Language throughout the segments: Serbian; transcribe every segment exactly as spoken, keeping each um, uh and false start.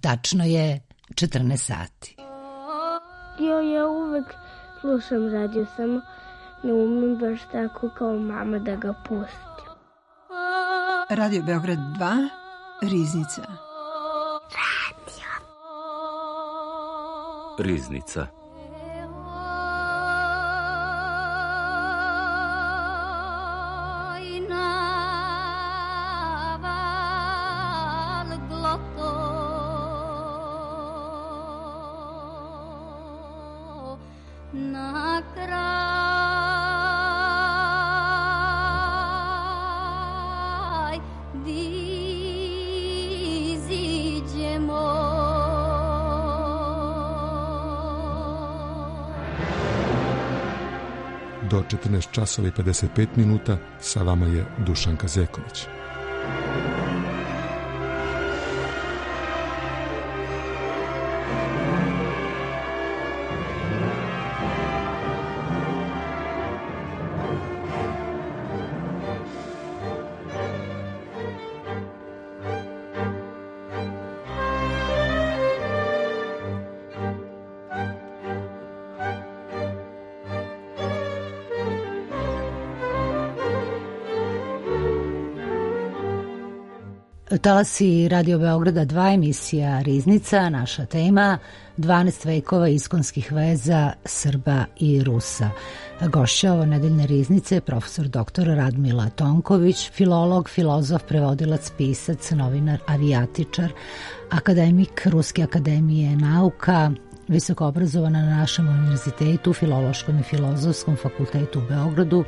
Tačno je četrnaest sati. Jo, ja uvek slušam radio, samo ne umem baš tako kao mama da ga pustim. Radio Beograd dva, Riznica. Radio. Riznica. Do četrnaest časova i pedeset pet minuta sa vama je Dušanka Zeković. Talasi Radio Beograda dva, emisija Riznica, naša tema dvanaest vekova iskonskih veza Srba i Rusa. Gošća ovo nedeljne Riznice je profesor doktor Radmila Tonković, filolog, filozof, prevodilac, pisac, novinar, avijatičar, akademik Ruske akademije nauka, visoko obrazovana na našem univerzitetu, Filološkom i filozofskom fakultetu u Beogradu.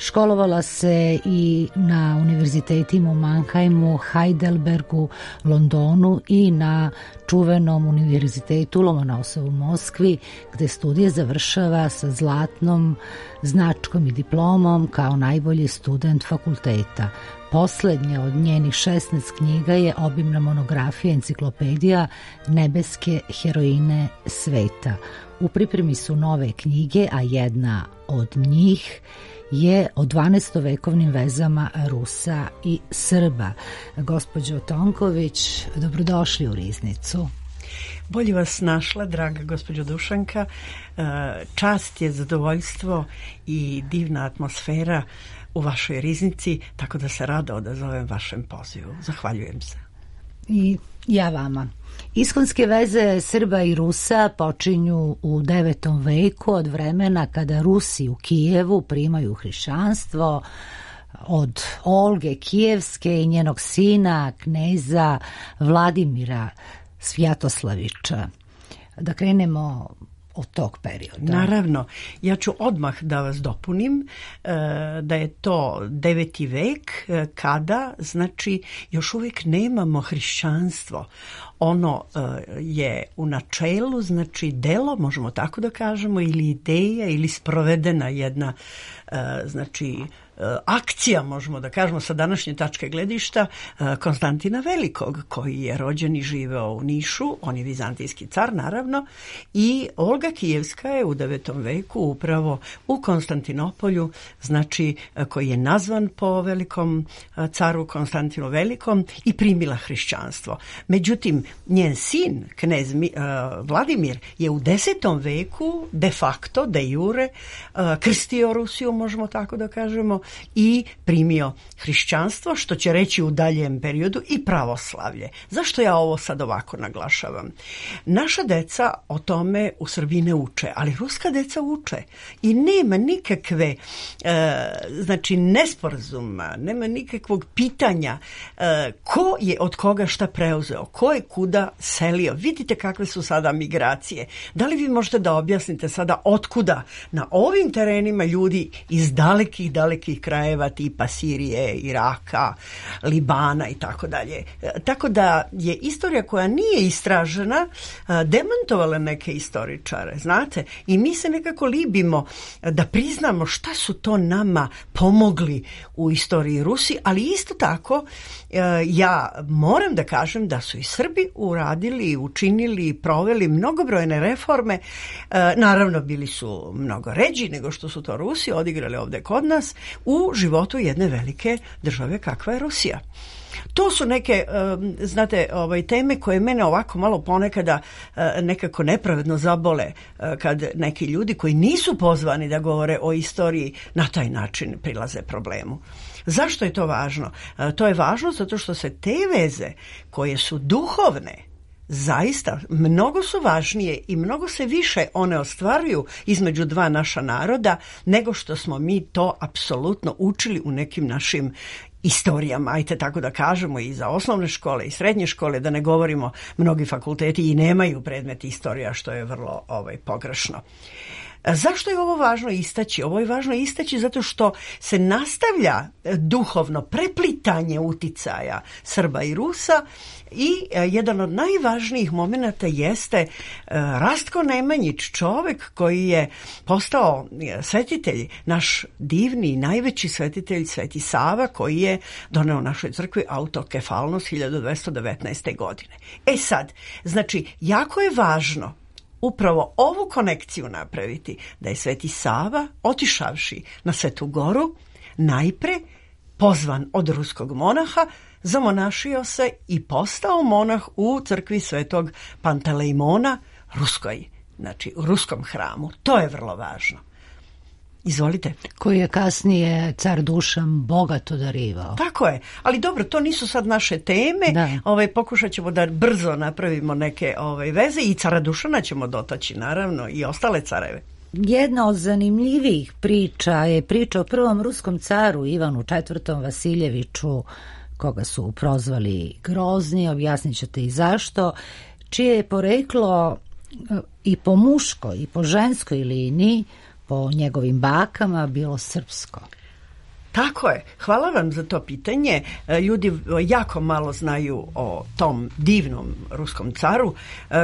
Školovala se i na univerzitetima u Mannheimu, Heidelbergu, Londonu i na čuvenom univerzitetu Lomonosovu u Moskvi, gde studije završava sa zlatnom značkom i diplomom kao najbolji student fakulteta. Poslednja od njenih šesnaest knjiga je obimna monografija enciklopedija Nebeske heroine sveta. U pripremi su nove knjige, a jedna od njih je o dvanaestovekovnim vezama Rusa i Srba. Gospođo Tonković, dobrodošli u Riznicu. Bolje vas našla, draga gospođo Dušanka. Čast je, zadovoljstvo i divna atmosfera u vašoj Riznici, tako da se rado odazovem vašem pozivu. Zahvaljujem se. I ja vama. Iskonske veze Srba i Rusa počinju u devetom veku, od vremena kada Rusi u Kijevu primaju hrišćanstvo od Olge Kijevske i njenog sina, kneza Vladimira Svjatoslavića. Da krenemo od tog perioda. Naravno, ja ću odmah da vas dopunim da je to deveti vek kada, znači, još uvijek nemamo hrišćanstvo. Ono je u načelu, znači, delo, možemo tako da kažemo, ili ideja, ili sprovedena jedna, znači, akcija, možemo da kažemo sa današnje tačke gledišta, Konstantina Velikog, koji je rođen i živeo u Nišu, on je vizantijski car naravno, i Olga Kijevska je u devetom veku upravo u Konstantinopolju, znači koji je nazvan po velikom caru Konstantinu Velikom i primila hrišćanstvo. Međutim, njen sin, knez Vladimir, je u desetom veku de facto, de jure, krstio Rusiju, možemo tako da kažemo, i primio hrišćanstvo, što će reći u daljem periodu i pravoslavlje. Zašto ja ovo sad ovako naglašavam? Naša deca o tome u Srbiji ne uče, ali ruska deca uče i nema nikakve e, znači nesporazuma, nema nikakvog pitanja e, ko je od koga šta preuzeo, ko je kuda selio. Vidite kakve su sada migracije. Da li vi možete da objasnite sada otkuda na ovim terenima ljudi iz dalekih, dalekih krajeva tipa Sirije, Iraka, Libana i tako dalje. Tako da je istorija koja nije istražena demantovala neke istoričare, znate, i mi se nekako libimo da priznamo šta su to nama pomogli u istoriji Rusi, ali isto tako ja moram da kažem da su i Srbi uradili, učinili, proveli mnogobrojne reforme. Naravno, bili su mnogo ređi nego što su to Rusi odigrali ovde kod nas u životu jedne velike države kakva je Rusija. To su neke, znate, ovaj, teme koje mene ovako malo ponekada nekako nepravedno zabole kad neki ljudi koji nisu pozvani da govore o istoriji na taj način prilaze problemu. Zašto je to važno? To je važno zato što se te veze koje su duhovne, zaista mnogo su važnije i mnogo se više one ostvaruju između dva naša naroda nego što smo mi to apsolutno učili u nekim našim istorijama, ajte tako da kažemo, i za osnovne škole i srednje škole, da ne govorimo, mnogi fakulteti i nemaju predmet istorija, što je vrlo ovaj, pogrešno. Zašto je ovo važno istaći? Ovo je važno istaći zato što se nastavlja duhovno preplitanje uticaja Srba i Rusa i jedan od najvažnijih momenata jeste Rastko Nemanjić, čovek koji je postao svetitelj, naš divni i najveći svetitelj Sveti Sava, koji je doneo našoj crkvi autokefalnost hiljadu dvesta devetnaeste. godine. E sad, znači, jako je važno upravo ovu konekciju napraviti, da je Sveti Sava, otišavši na Svetu Goru, najpre pozvan od ruskog monaha, zamonašio se i postao monah u crkvi Svetog Pantelejmona, ruskoj, znači u ruskom hramu. To je vrlo važno. Izvolite. Koji je kasnije car Dušan bogato darivao. Tako je, ali dobro, to nisu sad naše teme. Da. Ovaj, pokušat ćemo da brzo napravimo neke ovaj, veze i cara Dušana ćemo dotaći, naravno, i ostale careve. Jedna od zanimljivijih priča je priča o prvom ruskom caru Ivanu četvrtom. Vasiljeviću, koga su prozvali Grozni, objasnit ćete i zašto, čije je poreklo i po muškoj i po ženskoj liniji, po njegovim bakama, bilo srpsko. Tako je. Hvala vam za to pitanje. Ljudi jako malo znaju o tom divnom ruskom caru,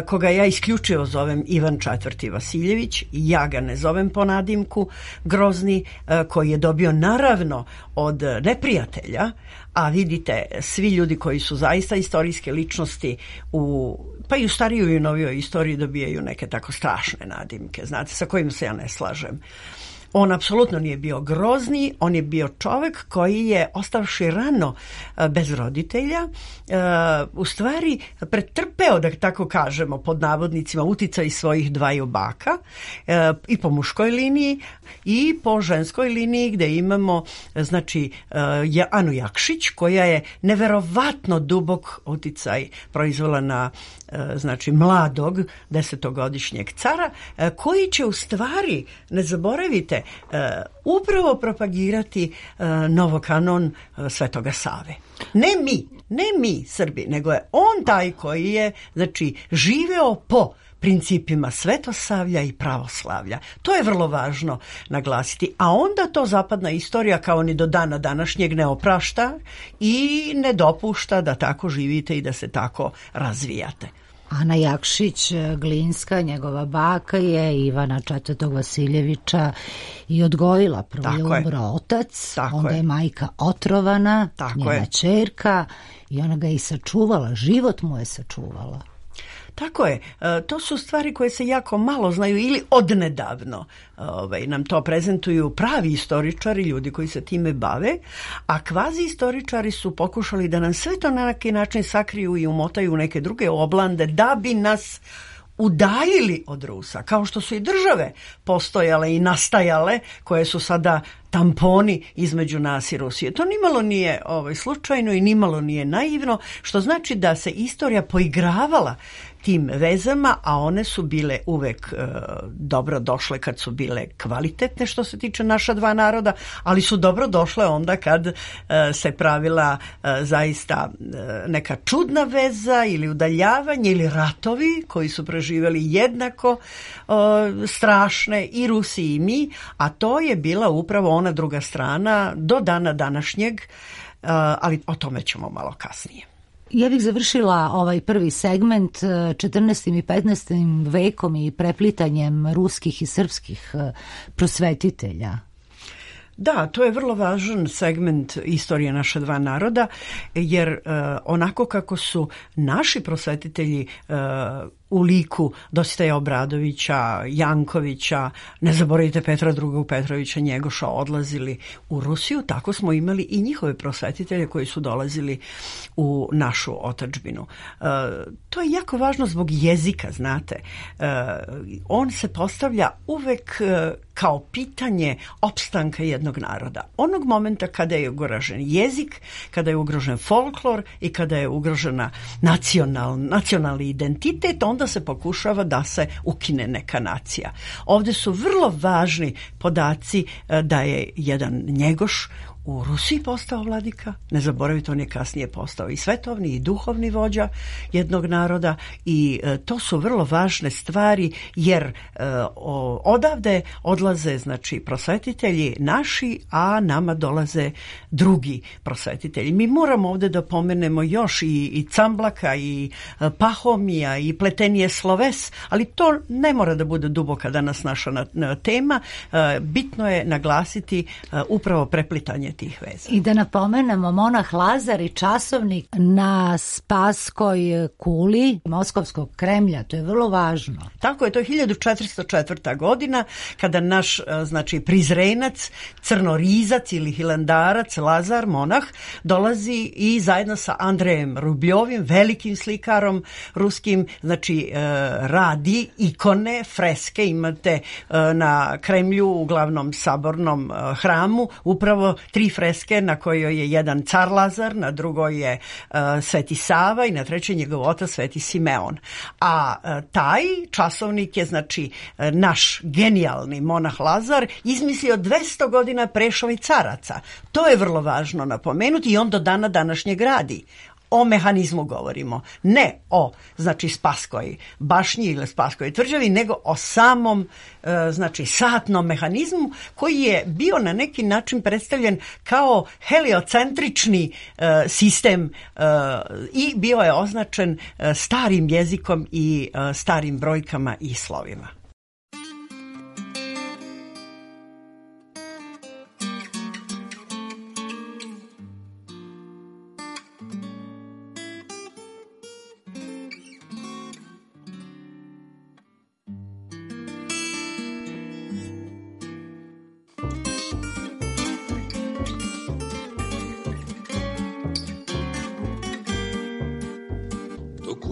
koga ja isključivo zovem Ivan četvrti. Vasiljević. Ja ga ne zovem po nadimku Grozni, koji je dobio naravno od neprijatelja, a vidite, svi ljudi koji su zaista istorijske ličnosti, u, pa i u starijoj i u novijoj istoriji dobijaju neke tako strašne nadimke, znate, sa kojim se ja ne slažem. On apsolutno nije bio Grozni, on je bio čovek koji je, ostavši rano bez roditelja, u stvari pretrpeo, da tako kažemo, pod navodnicima, uticaj svojih dvaju baka, i po muškoj liniji i po ženskoj liniji, gde imamo, znači, Anu Jakšić, koja je neverovatno dubok uticaj proizvela na, znači, mladog desetogodišnjeg cara, koji će u stvari, ne zaboravite, upravo propagirati novokanon Svetoga Save. Ne mi, ne mi Srbi, nego je on taj koji je, znači, živeo po principima svetosavlja i pravoslavlja. To je vrlo važno naglasiti. A onda to zapadna istorija kao ni do dana današnjeg ne oprašta i ne dopušta da tako živite i da se tako razvijate. Ana Jakšić Glinska, njegova baka, je Ivana četvrtog. Vasiljevića i odgojila. Prvo je umro otac, tako onda je. je majka otrovana, tako njena je. ćerka, i ona ga i sačuvala, život mu je sačuvala. Tako je, to su stvari koje se jako malo znaju ili odnedavno ovaj, nam to prezentuju pravi istoričari, ljudi koji se time bave, a kvazi istoričari su pokušali da nam sve to na neki način sakriju i umotaju u neke druge oblande da bi nas udaljili od Rusa, kao što su i države postojale i nastajale, koje su sada tamponi između nas i Rusije. To nimalo nije ovaj, slučajno i nimalo nije naivno, što znači da se istorija poigravala tim vezama, a one su bile uvek e, dobro došle kad su bile kvalitetne što se tiče naša dva naroda, ali su dobro došle onda kad e, se pravila e, zaista e, neka čudna veza ili udaljavanje ili ratovi koji su preživjeli jednako e, strašne i Rusi i mi, a to je bila upravo ona druga strana do dana današnjeg, e, ali o tome ćemo malo kasnije. Ja bih završila ovaj prvi segment četrnaestim i petnaestim vekom i preplitanjem ruskih i srpskih prosvetitelja. Da, to je vrlo važan segment istorije naša dva naroda, jer uh, onako kako su naši prosvetitelji uh, u liku Dositeja Obradovića, Jankovića, ne zaboravite Petra drugog Petrovića Njegoša, odlazili u Rusiju, tako smo imali i njihove prosvetitelje koji su dolazili u našu otadžbinu. E, to je jako važno zbog jezika, znate. E, on se postavlja uvek e, kao pitanje opstanka jednog naroda. Onog momenta kada je ugrožen jezik, kada je ugrožen folklor i kada je ugrožena nacional, nacionalni identitet, onda se pokušava da se ukine neka nacija. Ovde su vrlo važni podaci da je jedan Njegoš u Rusiji postao vladika, ne zaboravite, on je kasnije postao i svetovni i duhovni vođa jednog naroda i e, to su vrlo važne stvari jer e, o, odavde odlaze znači prosvetitelji naši, a nama dolaze drugi prosvetitelji. Mi moramo ovde da pomenemo još i, i Camblaka i e, Pahomija i Pletenije sloves, ali to ne mora da bude duboka danas naša na, na tema. E, bitno je naglasiti e, upravo preplitanje tih veza. I da napomenemo, monah Lazar i časovnik na Spaskoj kuli Moskovskog Kremlja, to je vrlo važno. Tako je, to je hiljadu četiristo četvrta godina kada naš znači prizrenac, crnorizac ili hilandarac Lazar, monah, dolazi i zajedno sa Andrejem Rubljovim, velikim slikarom ruskim, znači radi ikone, freske, imate na Kremlju u glavnom sabornom hramu upravo tri freske na kojoj je jedan car Lazar, na drugoj je uh, Sveti Sava i na trećoj njegov otac Sveti Simeon. A uh, taj časovnik je znači uh, naš genijalni monah Lazar izmislio dvesta godina pre švajcaraca. To je vrlo važno napomenuti i on do dana današnjeg radi. O mehanizmu govorimo, ne o znači Spaskoj bašnji ili Spaskoj tvrđavi, nego o samom e, znači satnom mehanizmu koji je bio na neki način predstavljen kao heliocentrični e, sistem e, i bio je označen e, starim jezikom i e, starim brojkama i slovima.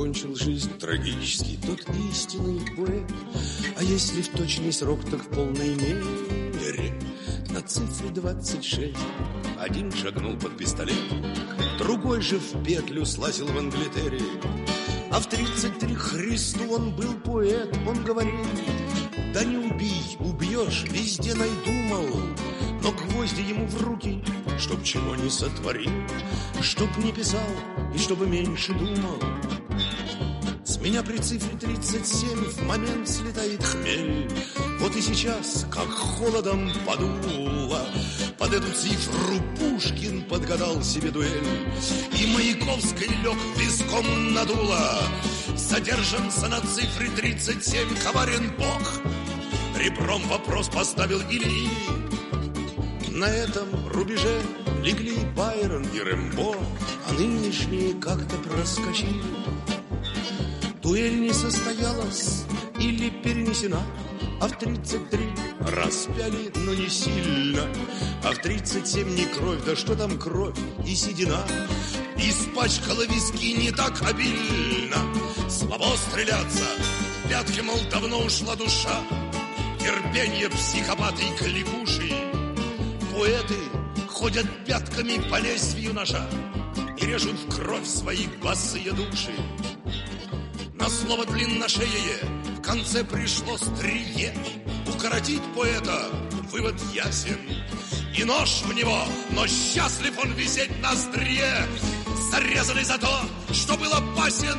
Кончил жизнь трагически тот истинный поэт. А если в точный срок, так в полной мере. На цифре двадцать шесть один шагнул под пистолет, другой же в петлю слазил в Англитере. А в тридцать три Христу он был поэт. Он говорил: да не убей, убьешь, везде найду, мол. Но гвозди ему в руки, чтоб чего не сотворил, чтоб не писал и чтобы меньше думал. С меня при цифре тридцать семь в момент слетает хмель. Вот и сейчас, как холодом подуло, под эту цифру Пушкин подгадал себе дуэль. И Маяковский лег виском надуло. Задержанца на цифре тридцать семь коварен Бог. Ребром вопрос поставил Ильи. На этом рубеже легли Байрон и Рэмбо, а нынешние как-то проскочили. Дуэль не состоялась или перенесена, а в тридцать три распяли, но не сильно. А в тридцать семь не кровь, да что там кровь и седина. Испачкала виски не так обильно. Слабо стреляться, пятки, мол, давно ушла душа. Терпенье психопаты и кликуши. Поэты ходят пятками по лезвию ножа и режут в кровь свои босые души. На слово длинношеее в конце пришло стрие. Укоротить поэта вывод ясен. И нож в него, но счастлив он висеть на острие. Зарезанный за то, что был опасен.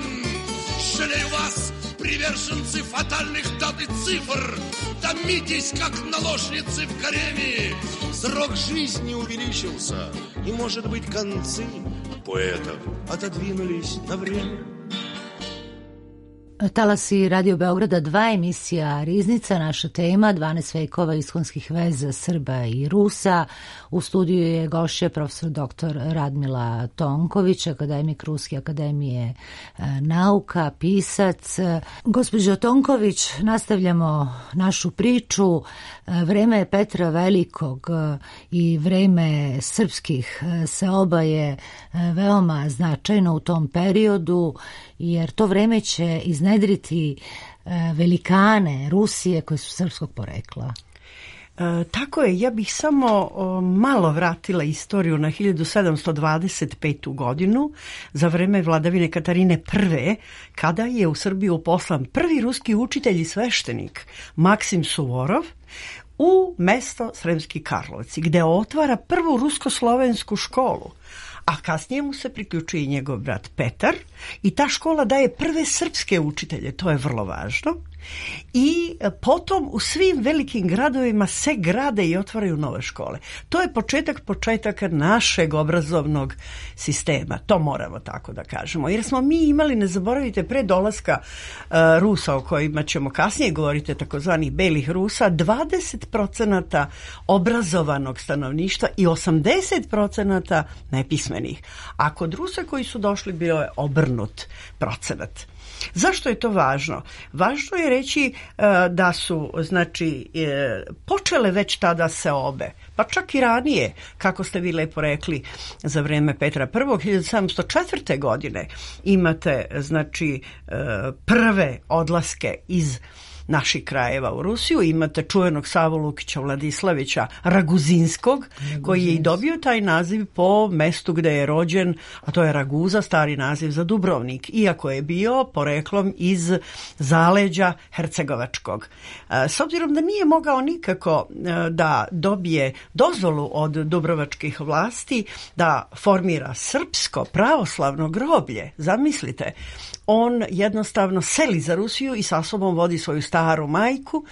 Жалею вас, приверженцы фатальных дат и цифр. Томитесь, как наложницы в гареме. Срок жизни увеличился, и, может быть, концы поэтов отодвинулись на время. Talasi Radio Beograda dva, emisija Riznica, naša tema dvanaest vekova iskonskih veza Srba i Rusa. U studiju je gošća profesor doktor Radmila Tonković, akademik Ruske akademije nauka, pisac. Gospođo Tonković, nastavljamo našu priču. Vreme Petra Velikog i vreme srpskih seoba je veoma značajno u tom periodu, jer to vreme će iznedriti velikane Rusije koji su srpskog porekla. E, tako je, ja bih samo o, malo vratila istoriju na hiljadu sedamsto dvadeset petu godinu za vreme vladavine Katarine Prve, kada je u Srbiju poslan prvi ruski učitelj i sveštenik Maksim Suvorov u mesto Sremski Karlovci, gde otvara prvu rusko-slovensku školu. A kasnije mu se priključuje i njegov brat Petar i ta škola daje prve srpske učitelje, to je vrlo važno. I potom u svim velikim gradovima se grade i otvaraju nove škole. To je početak početaka našeg obrazovnog sistema, to moramo tako da kažemo. Jer smo mi imali, ne zaboravite, pre dolaska uh, Rusa, o kojima ćemo kasnije govoriti, takozvanih belih Rusa, dvadeset procenata obrazovanog stanovništva i osamdeset procenata nepismenih. A kod Rusa koji su došli bio je obrnut procenat. Zašto je to važno? Važno je reći e, da su, znači, e, počele već tada seobe, pa čak i ranije, kako ste vi lepo rekli, za vreme Petra Prvog, hiljadu sedamsto četvrte godine imate, znači, e, prve odlaske iz naših krajeva u Rusiju. Imate čuvenog Savu Lukića Vladislavića Raguzinskog, Raguzins. Koji je i dobio taj naziv po mestu gde je rođen, a to je Raguza, stari naziv za Dubrovnik, iako je bio poreklom iz zaleđa Hercegovačkog. S obzirom da nije mogao nikako da dobije dozvolu od dubrovačkih vlasti da formira srpsko pravoslavno groblje, zamislite, on jednostavno seli za Rusiju i sa sobom vodi svoju staru majku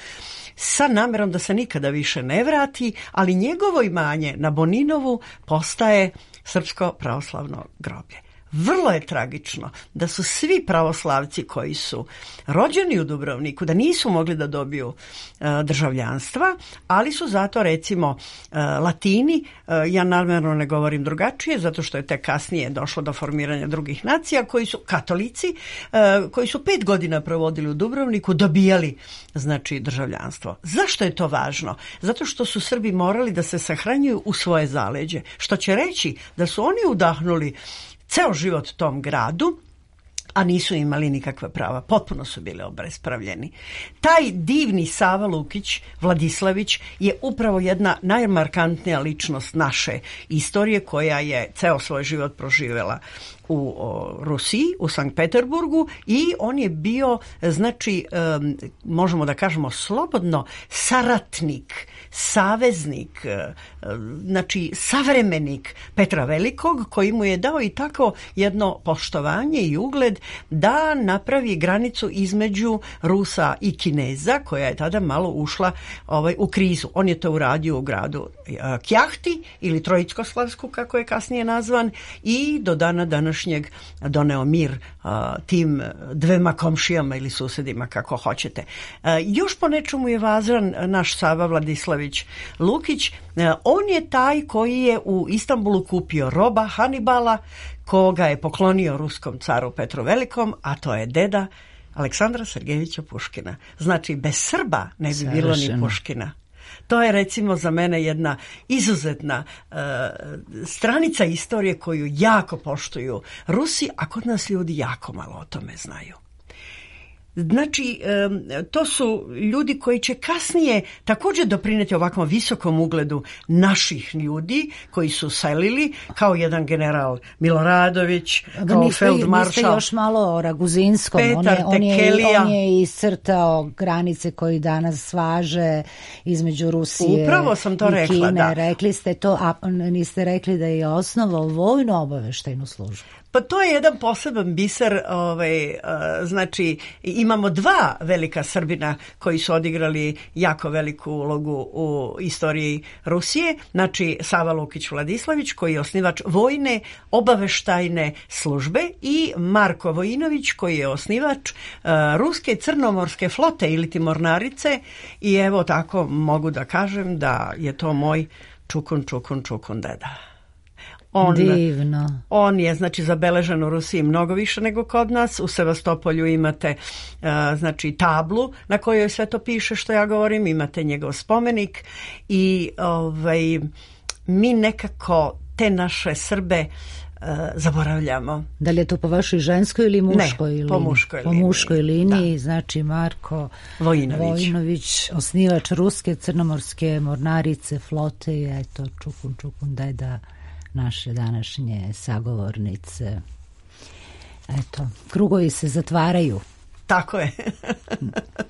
sa namerom da se nikada više ne vrati, ali njegovo imanje na Boninovu postaje srpsko pravoslavno groblje. Vrlo je tragično da su svi pravoslavci koji su rođeni u Dubrovniku, da nisu mogli da dobiju uh, državljanstva, ali su zato, recimo, uh, Latini, uh, ja namjerno ne govorim drugačije, zato što je tek kasnije došlo do formiranja drugih nacija, koji su katolici, uh, koji su pet godina provodili u Dubrovniku, dobijali, znači, državljanstvo. Zašto je to važno? Zato što su Srbi morali da se sahranjuju u svoje zaleđe, što će reći da su oni udahnuli ceo život tom gradu, a nisu imali nikakva prava. Potpuno su bili obespravljeni. Taj divni Sava Lukić Vladislavić je upravo jedna najmarkantnija ličnost naše istorije, koja je ceo svoj život proživjela u o, Rusiji, u Sankt Peterburgu, i on je bio, znači, um, možemo da kažemo slobodno, saratnik, saveznik, um, znači savremenik Petra Velikog, koji mu je dao i tako jedno poštovanje i ugled da napravi granicu između Rusa i Kineza, koja je tada malo ušla ovaj, u krizu. On je to uradio u gradu uh, Kjahti ili Trojicko-Slavsku, kako je kasnije nazvan, i do dana današnjeg doneo mir uh, tim dvema komšijama ili susedima, kako hoćete. Uh, još po nečemu je važan naš Sava Vladislavić Lukić. Uh, on je taj koji je u Istanbulu kupio roba Hanibala, koga je poklonio ruskom caru Petru Velikom, a to je deda Aleksandra Sergejevića Puškina. Znači, bez Srba ne bi Savršeno. Bilo ni Puškina. To je, recimo, za mene jedna izuzetna uh, stranica istorije koju jako poštuju Rusi, a kod nas ljudi jako malo o tome znaju. Znači, to su ljudi koji će kasnije također doprineti ovakvom visokom ugledu naših ljudi koji su selili, kao jedan general Miloradović, kao feldmaršal. Niste još malo o Raguzinskom. Petar on je, Tekelija. On je iscrtao granice koji danas važe između Rusije Upravo sam to i rekla, Kine. da. Rekli ste to, a niste rekli da je osnovao vojnu obaveštajnu službu. Pa to je jedan poseban biser, ovaj, uh, znači imamo dva velika Srbina koji su odigrali jako veliku ulogu u istoriji Rusije, znači Sava Lukić Vladislavić koji je osnivač vojne obaveštajne službe i Marko Vojinović koji je osnivač uh, ruske crnomorske flote ili ti mornarice i evo tako mogu da kažem da je to moj čukun, čukun, čukun deda. On, Divno. On je znači zabeležen u Rusiji mnogo više nego kod nas. U Sevastopolju imate uh, znači tablu na kojoj sve to piše što ja govorim, imate njegov spomenik i ovaj, mi nekako te naše Srbe uh, zaboravljamo. Da li je to po vašoj ženskoj ili muškoj ne, liniji? po muškoj po liniji. muškoj liniji, da. Znači Marko Vojinović. Vojinović, osnivač ruske crnomorske mornarice flote i eto čukun, čukun deda naše današnje sagovornice. Eto, krugovi se zatvaraju. Tako je.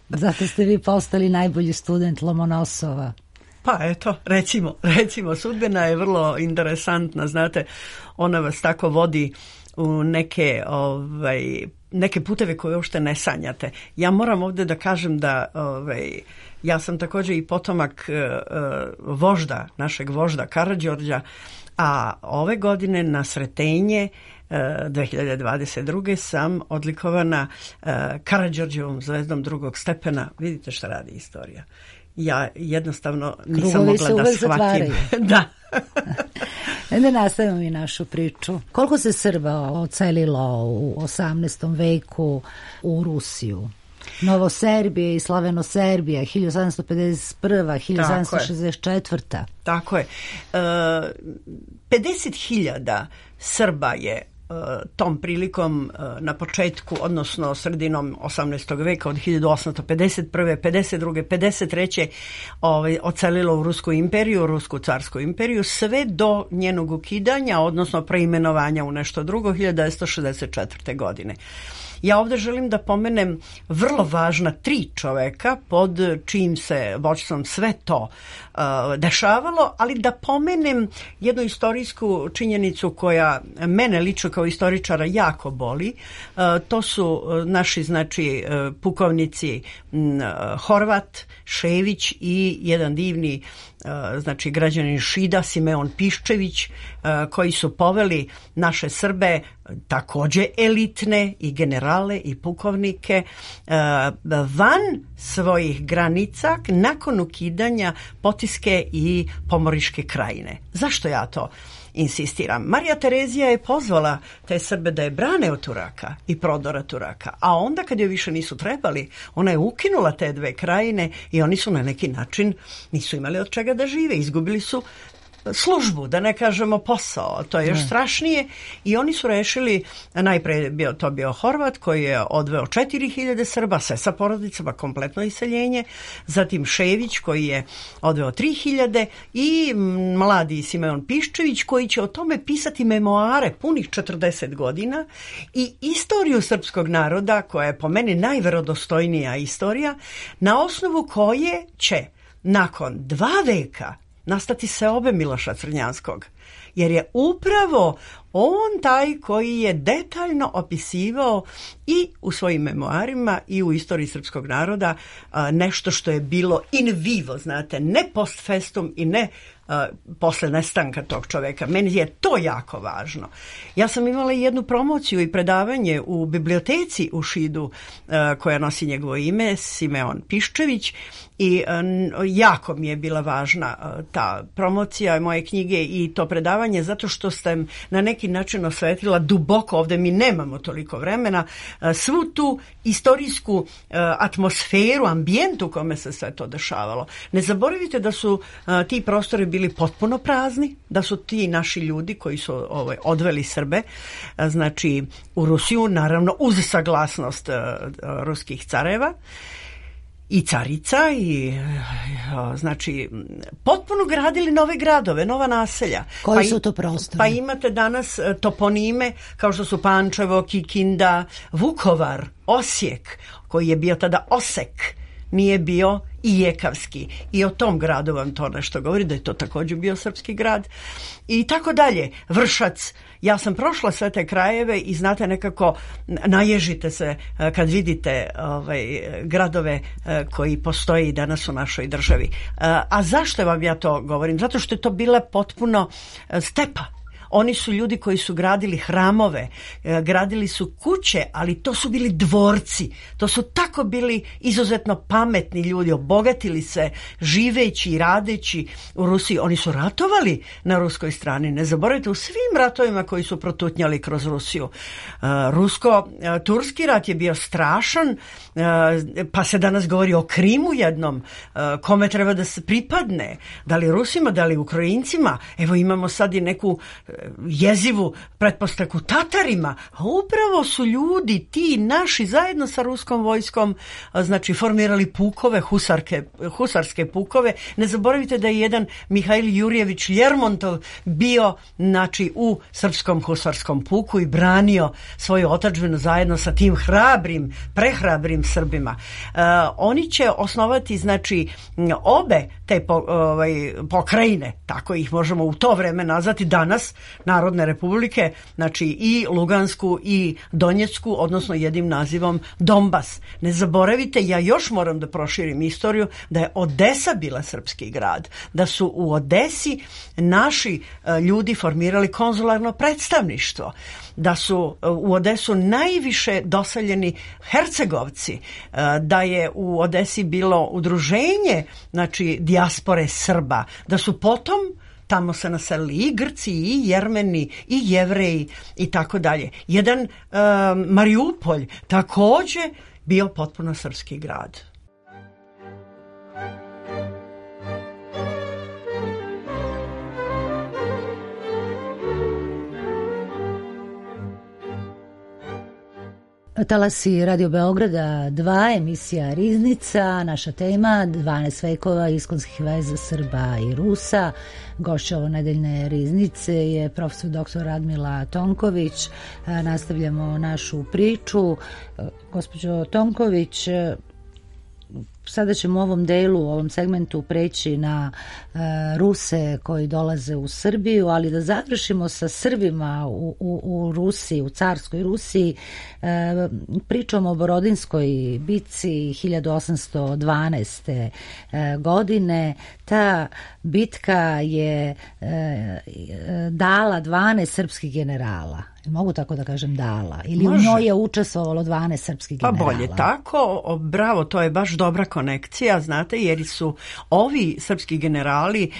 Zato ste vi postali najbolji student Lomonosova. Pa eto, recimo, recimo, sudbina je vrlo interesantna, znate, ona vas tako vodi u neke, ovaj, neke puteve koje uopšte ne sanjate. Ja moram ovdje da kažem da ovaj, ja sam također i potomak uh, vožda, našeg vožda Karađorđa, a ove godine na Sretenje dve hiljade dvadeset druge sam odlikovana uh, Karađorđevom zvezdom drugog stepena. Vidite šta radi istorija. Ja jednostavno nisam Krugovi mogla da shvatim. Da. Da nastavimo i našu priču. Koliko se Srba ocelilo u osamnaestom veku u Rusiju? Novoserbija i Slavenoserbija, hiljadu sedamsto pedeset prva. hiljadu sedamsto šezdeset četvrta. Tako je. E, pedeset hiljada Srba je tom prilikom na početku, odnosno sredinom osamnaestog veka od hiljadu osamsto pedeset prve, pedeset druge, pedeset treće ovaj, ocelilo u Rusku imperiju, Rusku carsku imperiju, sve do njenog ukidanja, odnosno preimenovanja u nešto drugo, hiljadu devetsto šezdeset četvrte. godine. Ja ovdje želim da pomenem vrlo važna tri čoveka pod čijim se vođstvom sve to uh, dešavalo, ali da pomenem jednu istorijsku činjenicu koja mene lično kao istoričara jako boli. Uh, to su naši znači uh, pukovnici uh, Horvat, Šević i jedan divni uh, znači građanin Šida, Simeon Piščević, uh, koji su poveli naše Srbe također elitne i generale i pukovnike van svojih granica nakon ukidanja Potiske i Pomoriške krajine. Zašto ja to insistiram? Marija Terezija je pozvala te Srbe da je brane od Turaka i prodora Turaka, a onda kad joj više nisu trebali, ona je ukinula te dve krajine i oni su na neki način nisu imali od čega da žive, izgubili su službu, da ne kažemo posao, to je još ne. strašnije i oni su rešili, najpre bio to bio Horvat koji je odveo četiri hiljade Srba, sve sa porodicama, kompletno iseljenje, zatim Šević koji je odveo tri hiljade i mladi Simeon Piščević koji će o tome pisati memoare punih četrdeset godina i istoriju srpskog naroda koja je po meni najverodostojnija istorija na osnovu koje će nakon dva veka nastati seobe Miloša Crnjanskog, jer je upravo on taj koji je detaljno opisivao i u svojim memoarima i u istoriji srpskog naroda nešto što je bilo in vivo, znate, ne post festum i ne Uh, posle nestanka tog čoveka. Meni je to jako važno. Ja sam imala jednu promociju i predavanje u biblioteci u Šidu uh, koja nosi njegovo ime, Simeon Piščević, i uh, jako mi je bila važna uh, ta promocija moje knjige i to predavanje zato što sam na neki način osvetila duboko, ovdje mi nemamo toliko vremena, uh, svu tu istorijsku uh, atmosferu, ambijent u kome se sve to dešavalo. Ne zaboravite da su uh, ti prostori bili potpuno prazni, da su ti naši ljudi koji su ovaj, odveli Srbe, znači u Rusiju, naravno uz saglasnost uh, ruskih careva i carica i uh, znači potpuno gradili nove gradove, nova naselja. Koji pa su to prostori? Pa imate danas uh, toponime kao što su Pančevo, Kikinda, Vukovar, Osijek, koji je bio tada Osek. nije bio Ijekavski. I o tom gradu vam to nešto govori, da je to također bio srpski grad. I tako dalje. Vršac. Ja sam prošla sve te krajeve i znate, nekako naježite se kad vidite ovaj, gradove koji postoje i danas u našoj državi. A zašto vam ja to govorim? Zato što je to bila potpuno stepa. Oni su ljudi koji su gradili hramove, gradili su kuće, ali to su bili dvorci. To su tako bili izuzetno pametni ljudi, obogatili se živeći i radeći u Rusiji. Oni su ratovali na ruskoj strani. Ne zaboravite, u svim ratovima koji su protutnjali kroz Rusiju. Rusko-turski rat je bio strašan, pa se danas govori o Krimu jednom, kome treba da se pripadne. Da li Rusima, da li Ukrajincima. Evo imamo sad i neku jezivu pretpostavku Tatarima, a upravo su ljudi ti naši zajedno sa ruskom vojskom znači formirali pukove, husarke, husarske pukove. Ne zaboravite da je jedan Mihajl Jurjević Ljermontov bio znači u srpskom husarskom puku i branio svoju otadžbinu zajedno sa tim hrabrim, prehrabrim Srbima. Uh, oni će osnovati znači obe te po, ovaj, pokrajine, tako ih možemo u to vreme nazvati danas, Narodne republike, znači i Lugansku i Donjecku, odnosno jednim nazivom Donbas. Ne zaboravite, ja još moram da proširim istoriju, da je Odesa bila srpski grad, da su u Odesi naši ljudi formirali konzularno predstavništvo, da su u Odesu najviše doseljeni Hercegovci, da je u Odesi bilo udruženje znači dijaspore Srba, da su potom tamo se naselili i Grci, i Jermeni, i Jevreji i tako dalje. Jedan uh, Mariupolj također bio potpuno srpski grad. Talasi Radio Beograda dva, emisija Riznica, naša tema dvanaest vekova iskonskih veza Srba i Rusa. Gošća ovonedeljne Riznice je profesor doktor Radmila Tonković. Nastavljamo našu priču. Gospođo Tonković, sada ćemo u ovom delu, u ovom segmentu preći na e, Ruse koji dolaze u Srbiju, ali da završimo sa Srbima u, u, u Rusiji, u carskoj Rusiji. E, pričamo o Borodinskoj bitci hiljadu osamsto dvanaeste. E, godine. Ta bitka je e, dala dvanaest srpskih generala. Mogu tako da kažem dala? Ili Može. U njoj je učestvovalo dvanaest srpskih generala? Pa bolje tako, o, bravo, to je baš dobra konekcija, znate, jer su ovi srpski generali,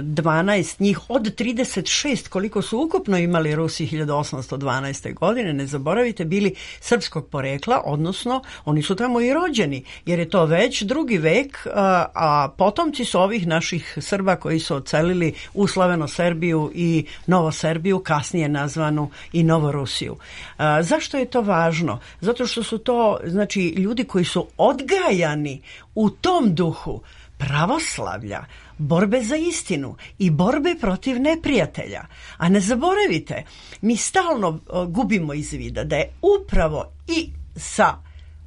dvanaest njih od trideset šest koliko su ukupno imali Rusi hiljadu osamsto dvanaeste. godine, ne zaboravite, bili srpskog porekla, odnosno oni su tamo i rođeni, jer je to već drugi vek, a, a potomci su ovih naših Srba koji su odselili u Slaveno-Serbiju i Novoserbiju, kasnije nazvanu i Novorusiju. A, zašto je to važno? Zato što su to znači ljudi koji su odgajani u tom duhu pravoslavlja, borbe za istinu i borbe protiv neprijatelja. A ne zaboravite, mi stalno uh, gubimo iz vida da je upravo i sa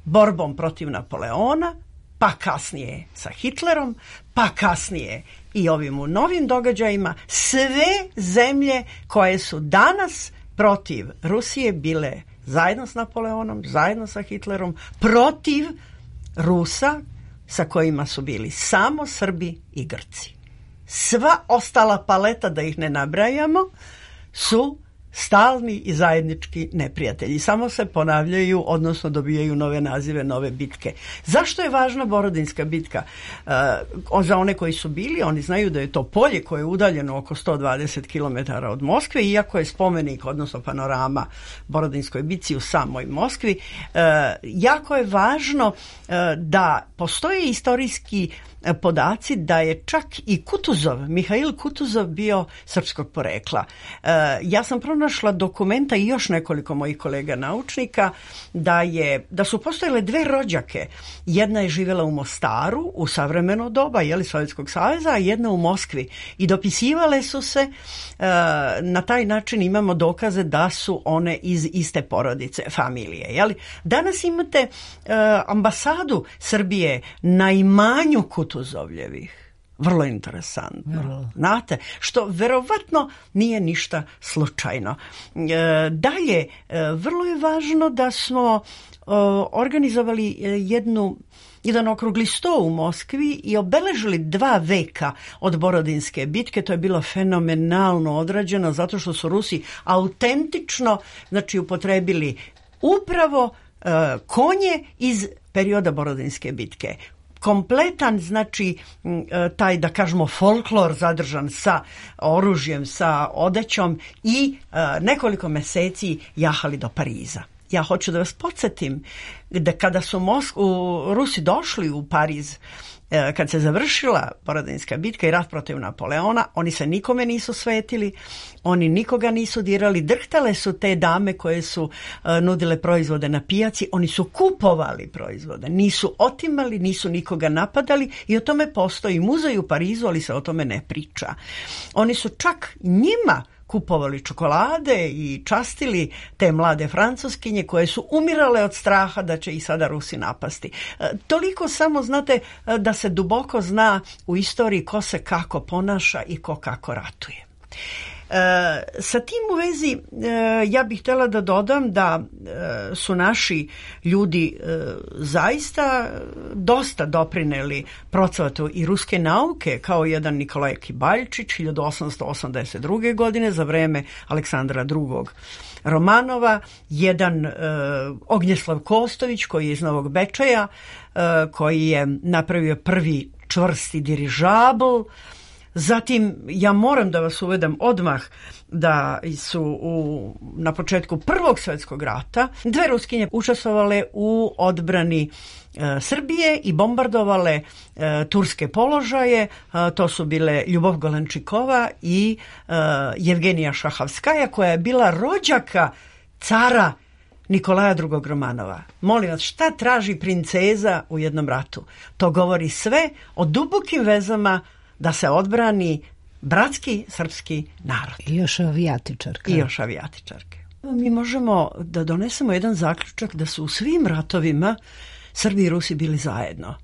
borbom protiv Napoleona, pa kasnije sa Hitlerom, pa kasnije i ovim u novim događajima, sve zemlje koje su danas protiv Rusije bile zajedno s Napoleonom, zajedno sa Hitlerom, protiv Rusa sa kojima su bili samo Srbi i Grci. Sva ostala paleta, da ih ne nabrajamo, su stalni i zajednički neprijatelji. Samo se ponavljaju, odnosno dobijaju nove nazive, nove bitke. Zašto je važna Borodinska bitka? Uh, za one koji su bili, oni znaju da je to polje koje je udaljeno oko sto dvadeset kilometara od Moskve, iako je spomenik, odnosno panorama Borodinskoj bitci u samoj Moskvi. Uh, jako je važno uh, da postoje istorijski podaci da je čak i Kutuzov, Mihail Kutuzov bio srpskog porekla. Ja sam pronašla dokumenta i još nekoliko mojih kolega naučnika da, je, da su postojale dve rođake. Jedna je živjela u Mostaru u savremeno doba, jeli, Sovjetskog saveza, a jedna u Moskvi. I dopisivale su se, na taj način imamo dokaze da su one iz iste porodice, familije. Jeli. Danas imate ambasadu Srbije na imanju Kutuzovljevih. Vrlo interesantno. Vrlo. Znate, što verovatno nije ništa slučajno. E, dalje, e, vrlo je važno da smo e, organizovali jednu jedan okrugli sto u Moskvi i obeležili dva veka od Borodinske bitke. To je bilo fenomenalno odrađeno zato što su Rusi autentično, znači, upotrebili upravo e, konje iz perioda Borodinske bitke. Kompletan, znači, taj, da kažemo, folklor zadržan sa oružjem, sa odećom i nekoliko meseci jahali do Pariza. Ja hoću da vas podsjetim da kada su Mosk- Rusi došli u Pariz, kad se završila Borodinska bitka i rat protiv Napoleona, oni se nikome nisu svetili, oni nikoga nisu dirali, drhtale su te dame koje su uh, nudile proizvode na pijaci, oni su kupovali proizvode, nisu otimali, nisu nikoga napadali i o tome postoji muzej u Parizu, ali se o tome ne priča. Oni su čak njima kupovali čokolade i častili te mlade Francuskinje koje su umirale od straha da će ih sada Rusi napasti. E, toliko samo, znate, da se duboko zna u istoriji ko se kako ponaša i ko kako ratuje. E, sa tim u vezi e, ja bih htjela da dodam da e, su naši ljudi e, zaista dosta doprineli procvatu i ruske nauke, kao jedan Nikolaj Kibaljčić hiljadu osamsto osamdeset druge. godine za vreme Aleksandra drugog. Romanova, jedan e, Ognjeslav Kostović koji je iz Novog Bečeja, e, koji je napravio prvi čvrsti dirižabl. Zatim, ja moram da vas uvedem odmah da su u, na početku Prvog svjetskog rata dve Ruskinje učestvovale u odbrani e, Srbije i bombardovale e, turske položaje. E, to su bile Ljubov Golenčikova i e, Jevgenija Šahavskaja, koja je bila rođaka cara Nikolaja drugog. Romanova. Molim vas, šta traži princeza u jednom ratu? To govori sve o dubokim vezama da se odbrani bratski srpski narod. I još avijatičarka. I još avijatičarke. Mi možemo da donesemo jedan zaključak da su u svim ratovima Srbi i Rusi bili zajedno.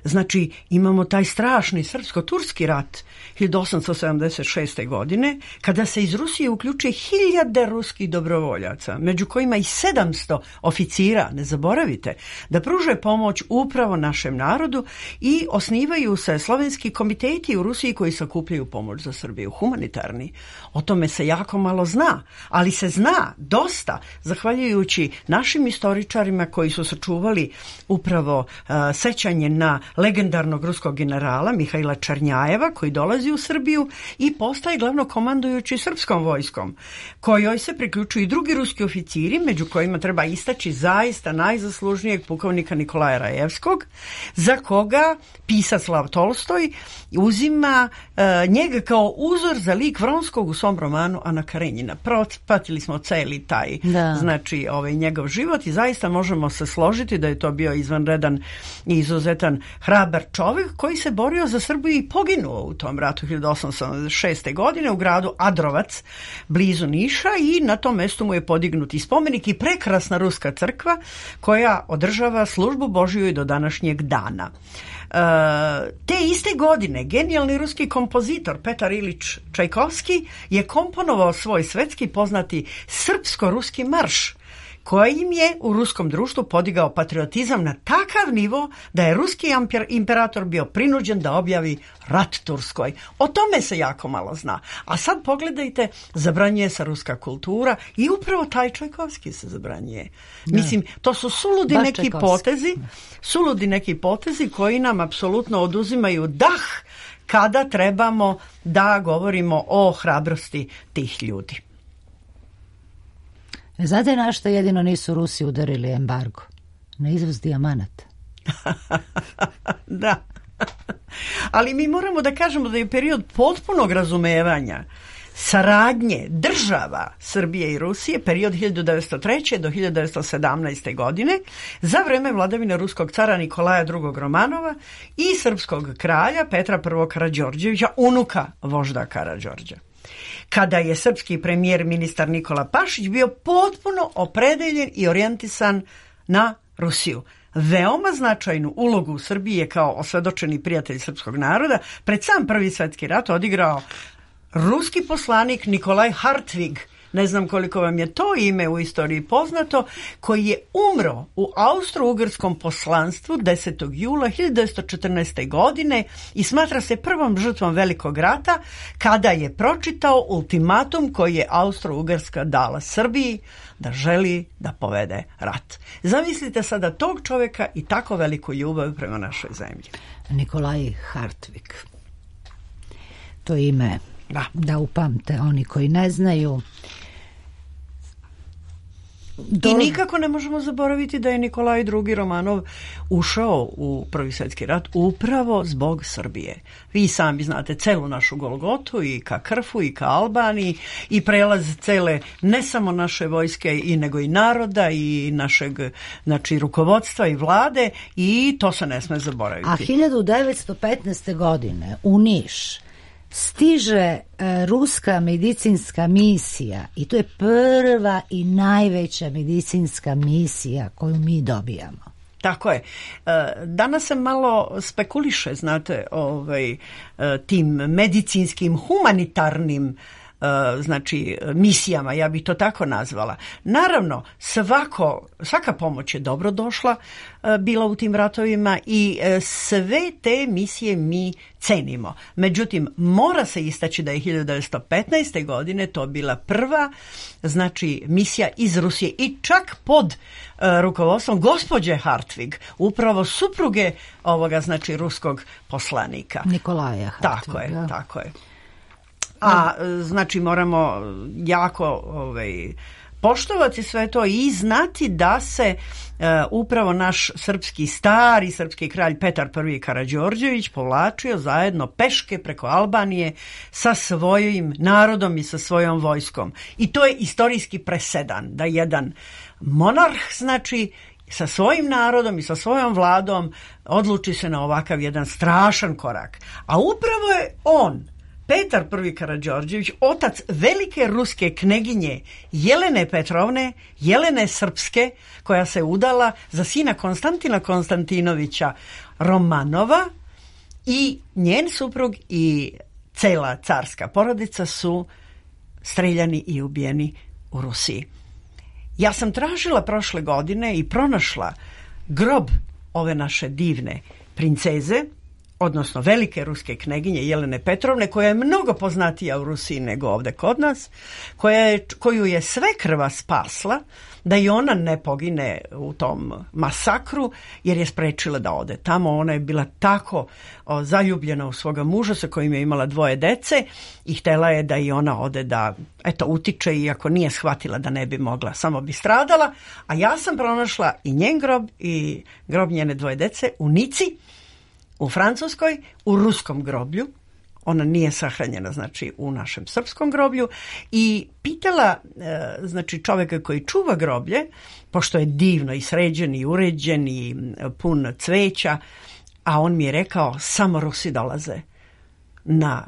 Znači, imamo taj strašni srpsko-turski rat hiljadu osamsto sedamdeset šeste. godine, kada se iz Rusije uključuje hiljade ruskih dobrovoljaca, među kojima i sedamsto oficira, ne zaboravite, da pruže pomoć upravo našem narodu i osnivaju se slovenski komiteti u Rusiji koji sakupljaju pomoć za Srbiju, humanitarni. O tome se jako malo zna, ali se zna dosta, zahvaljujući našim istoričarima koji su sačuvali upravo uh, sećanje na legendarnog ruskog generala Mihaila Černjajeva, koji dolazi u Srbiju i postaje glavno komandujući srpskom vojskom, kojoj se priključuju i drugi ruski oficiri, među kojima treba istaći zaista najzaslužnijeg pukovnika Nikolaja Rajevskog, za koga pisac Lav Tolstoj uzima uh, njega kao uzor za lik Vronskog u svom romanu Ana Karenjina. Pratili smo celi taj da. znači ovaj njegov život i zaista možemo se složiti da je to bio izvanredan i izuzetan hrabar čovjek koji se borio za Srbiju i poginuo u tom ratu hiljadu osamsto sedamdeset šeste. godine u gradu Adrovac blizu Niša i na tom mjestu mu je podignut i spomenik i prekrasna ruska crkva koja održava službu Božiju i do današnjeg dana. Uh, te iste godine genijalni ruski kompozitor Petar Ilić Čajkovski je komponovao svoj svetski poznati srpsko-ruski marš, kojim je u ruskom društvu podigao patriotizam na takav nivo da je ruski imperator bio prinuđen da objavi rat Turskoj. O tome se jako malo zna. A sad pogledajte, zabranjuje se ruska kultura i upravo taj Čajkovski se zabranjuje. Da. Mislim, to su suludi Baš neki Čajkovski. potezi, suludi neki potezi koji nam apsolutno oduzimaju dah kada trebamo da govorimo o hrabrosti tih ljudi. Znate na što jedino nisu Rusi udarili embargo? Na izvoz dijamanata. Da. Ali mi moramo da kažemo da je period potpunog razumevanja saradnje država Srbije i Rusije, period hiljadu devetsto treće do hiljadu devetsto sedamnaeste. godine, za vreme vladavine ruskog cara Nikolaja drugog. Romanova i srpskog kralja Petra prvog. Karađorđevića, unuka vožda Karađorđa. Kada je srpski premijer ministar Nikola Pašić bio potpuno opredeljen i orijentisan na Rusiju. Veoma značajnu ulogu u Srbiji je kao osvedočeni prijatelj srpskog naroda pred sam Prvi svetski rat odigrao ruski poslanik Nikolaj Hartvig, ne znam koliko vam je to ime u istoriji poznato, koji je umro u austro-ugarskom poslanstvu desetog jula hiljadu devetsto četrnaeste. godine i smatra se prvom žrtvom Velikog rata kada je pročitao ultimatum koji je Austro-Ugarska dala Srbiji da želi da povede rat. Zamislite sada tog čovjeka i tako veliku ljubav prema našoj zemlji. Nikolaj Hartvig. To ime Da. da upamte oni koji ne znaju. Do... I nikako ne možemo zaboraviti da je Nikolaj drugi. Romanov ušao u Prvi svjetski rat upravo zbog Srbije. Vi sami znate celu našu Golgotu i ka Krfu i ka Albaniji i prelaz cele ne samo naše vojske i nego i naroda i našeg, znači, rukovodstva i vlade, i to se ne sme zaboraviti. A hiljadu devetsto petnaeste. godine u Niš stiže e, ruska medicinska misija i to je prva i najveća medicinska misija koju mi dobijamo. Tako je. Danas se malo spekuliše, znate, ovaj, tim medicinskim, humanitarnim, znači, misijama, ja bih to tako nazvala. Naravno, svako, svaka pomoć je dobro došla bila u tim ratovima i sve te misije mi cenimo. Međutim, mora se istaći da je hiljadu devetsto petnaeste. godine to bila prva, znači, misija iz Rusije i čak pod uh, rukovodstvom gospođe Hartvig, upravo supruge ovoga, znači, ruskog poslanika. Nikolaja Hartviga. Tako je, tako je. A znači moramo jako ovaj, poštovati sve to i znati da se uh, upravo naš srpski stari srpski kralj Petar prvi. Karađorđević povlačio zajedno peške preko Albanije sa svojim narodom i sa svojom vojskom. I to je istorijski presedan da jedan monarh, znači, sa svojim narodom i sa svojom vladom odluči se na ovakav jedan strašan korak. A upravo je on, Petar prvi. Karađorđević, otac velike ruske kneginje Jelene Petrovne, Jelene Srpske, koja se udala za sina Konstantina Konstantinovića Romanova, i njen suprug i cela carska porodica su streljani i ubijeni u Rusiji. Ja sam tražila prošle godine i pronašla grob ove naše divne princeze, odnosno velike ruske kneginje Jelene Petrovne, koja je mnogo poznatija u Rusiji nego ovde kod nas, koja je, koju je svekrva spasla da i ona ne pogine u tom masakru, jer je sprečila da ode tamo. Ona je bila tako o, zaljubljena u svoga muža sa kojim je imala dvoje dece i htela je da i ona ode da, eto, utiče, iako nije shvatila da ne bi mogla, samo bi stradala. A ja sam pronašla i njen grob i grob njene dvoje dece u Nici, u Francuskoj, u ruskom groblju. Ona nije sahranjena, znači, u našem srpskom groblju, i pitala, e, znači, čovjeka koji čuva groblje, pošto je divno i sređen i uređen i pun cveća, a on mi je rekao, samo Rusi dolaze na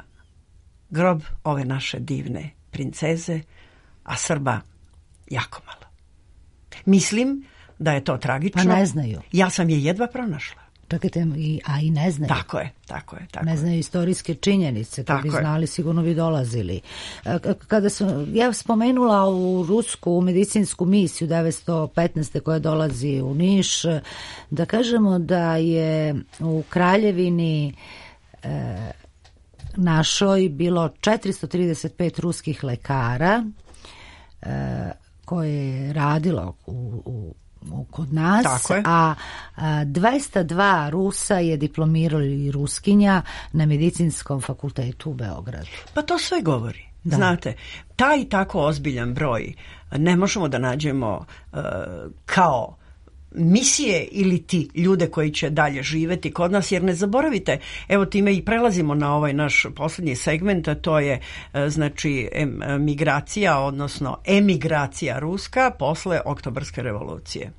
grob ove naše divne princeze, a Srba jako malo. Mislim da je to tragično. Pa ne znaju. Ja sam je jedva pronašla. Čekajte, a i ne znaju. Tako je, tako je. Tako ne znaju istorijske činjenice, kad bi znali sigurno bi dolazili. Kada sam ja spomenula u rusku medicinsku misiju devetsto petnaeste. koja dolazi u Niš, da kažemo da je u kraljevini e, našoj bilo četiristo trideset pet ruskih lekara e, koje je radilo u, u kod nas, a, a dvesta dva Rusa je diplomirali Ruskinja na medicinskom fakultetu u Beogradu. Pa to sve govori. Da. Znate, taj tako ozbiljan broj ne možemo da nađemo uh, kao misije ili ti ljude koji će dalje živeti kod nas, jer ne zaboravite, evo time i prelazimo na ovaj naš poslednji segment, a to je znači migracija, odnosno emigracija ruska posle Oktobarske revolucije.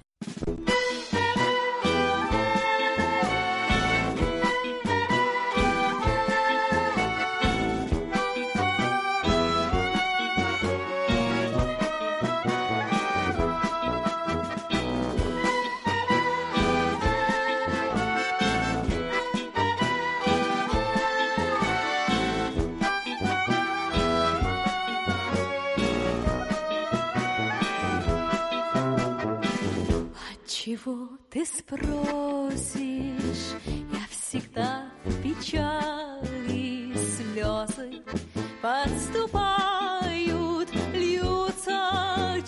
Чего ты спросишь? Я всегда в печали, слезы подступают, льются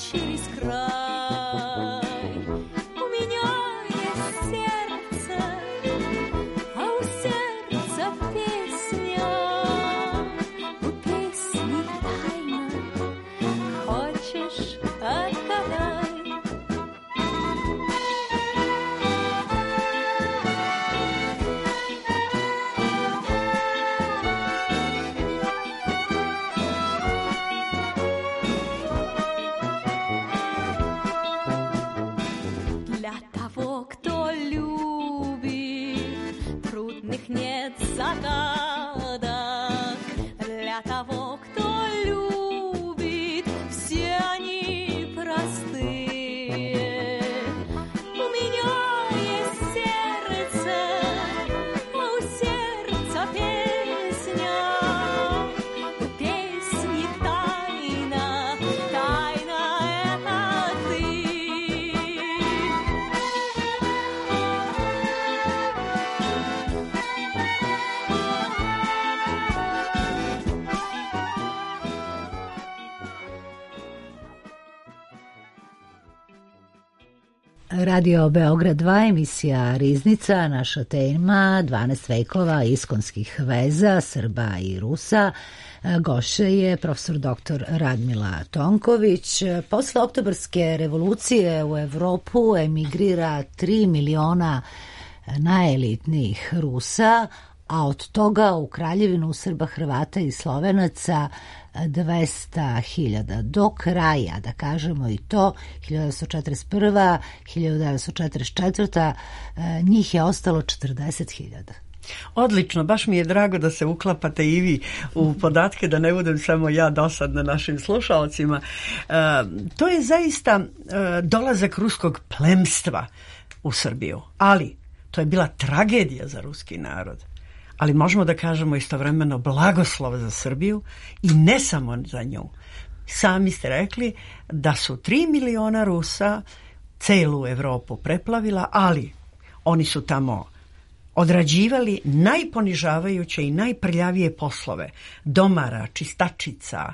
через край. У меня есть сердце, а у сердца песня, у песни тайна, хочешь отгадай. Нет загадок для того, кто любит, все они простые. У меня есть сердце, а у сердца песня, у песни тайна, тайна это ты. Radio Beograd dva, emisija Riznica, naša tema dvanaest vekova iskonskih veza Srba i Rusa. Gošća je profesor doktor Radmila Tonković. Posle Oktobarske revolucije u Evropu emigrira tri miliona najelitnijih Rusa, a od toga u Kraljevinu Srba, Hrvata i Slovenaca dvesta hiljada. Do kraja, da kažemo i to, hiljadu devetsto četrdeset prva. hiljadu devetsto četrdeset četvrta. njih je ostalo četrdeset hiljada. Odlično, baš mi je drago da se uklapate i vi u podatke, da ne budem samo ja dosadna našim slušalcima. E, to je zaista e, dolazak ruskog plemstva u Srbiju, ali to je bila tragedija za ruski narod. Ali možemo da kažemo istovremeno blagoslov za Srbiju i ne samo za nju. Sami ste rekli da su tri miliona Rusa celu Evropu preplavila, ali oni su tamo odrađivali najponižavajuće i najprljavije poslove. Domara, čistačica,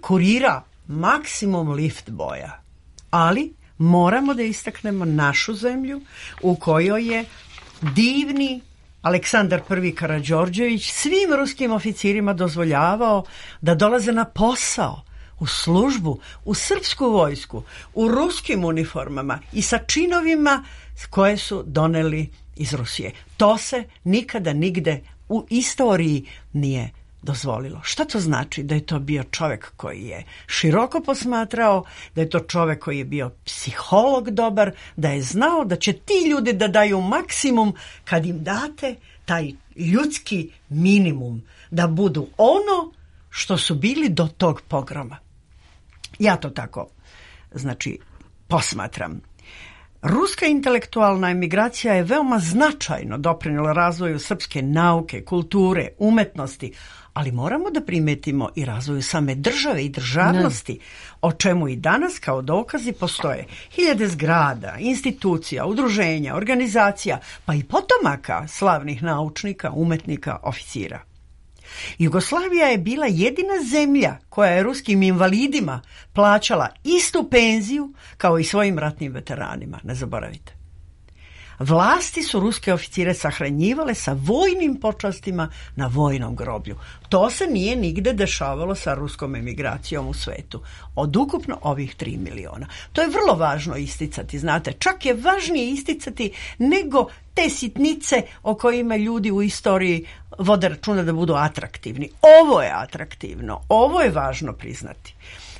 kurira, maksimum lift boja. Ali moramo da istaknemo našu zemlju u kojoj je divni Aleksandar Prvi Karađorđević svim ruskim oficirima dozvoljavao da dolaze na posao, u službu, u srpsku vojsku, u ruskim uniformama i sa činovima koje su doneli iz Rusije. To se nikada nigde u istoriji nije dozvolilo. Šta to znači? Da je to bio čovek koji je široko posmatrao, da je to čovek koji je bio psiholog dobar, da je znao da će ti ljudi da daju maksimum kad im date taj ljudski minimum, da budu ono što su bili do tog pogroma. Ja to tako, znači, posmatram. Ruska intelektualna emigracija je veoma značajno doprinela razvoju srpske nauke, kulture, umetnosti, ali moramo da primetimo i razvoju same države i državnosti, o čemu i danas kao dokazi postoje hiljade zgrada, institucija, udruženja, organizacija, pa i potomaka slavnih naučnika, umetnika, oficira. Jugoslavija je bila jedina zemlja koja je ruskim invalidima plaćala istu penziju kao i svojim ratnim veteranima, ne zaboravite. Vlasti su ruske oficire sahranjivale sa vojnim počastima na vojnom groblju. To se nije nigde dešavalo sa ruskom emigracijom u svetu. Od ukupno ovih tri miliona. To je vrlo važno isticati, znate. Čak je važnije isticati nego te sitnice o kojima ljudi u istoriji vode računa da budu atraktivni. Ovo je atraktivno. Ovo je važno priznati.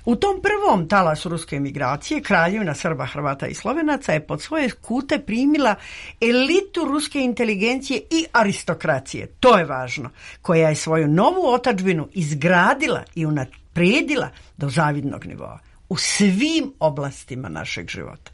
U tom prvom talasu ruske emigracije Kraljevina Srba, Hrvata i Slovenaca je pod svoje skute primila elitu ruske inteligencije i aristokracije, to je važno, koja je svoju novu otadžbinu izgradila i unaprijedila do zavidnog nivoa u svim oblastima našeg života.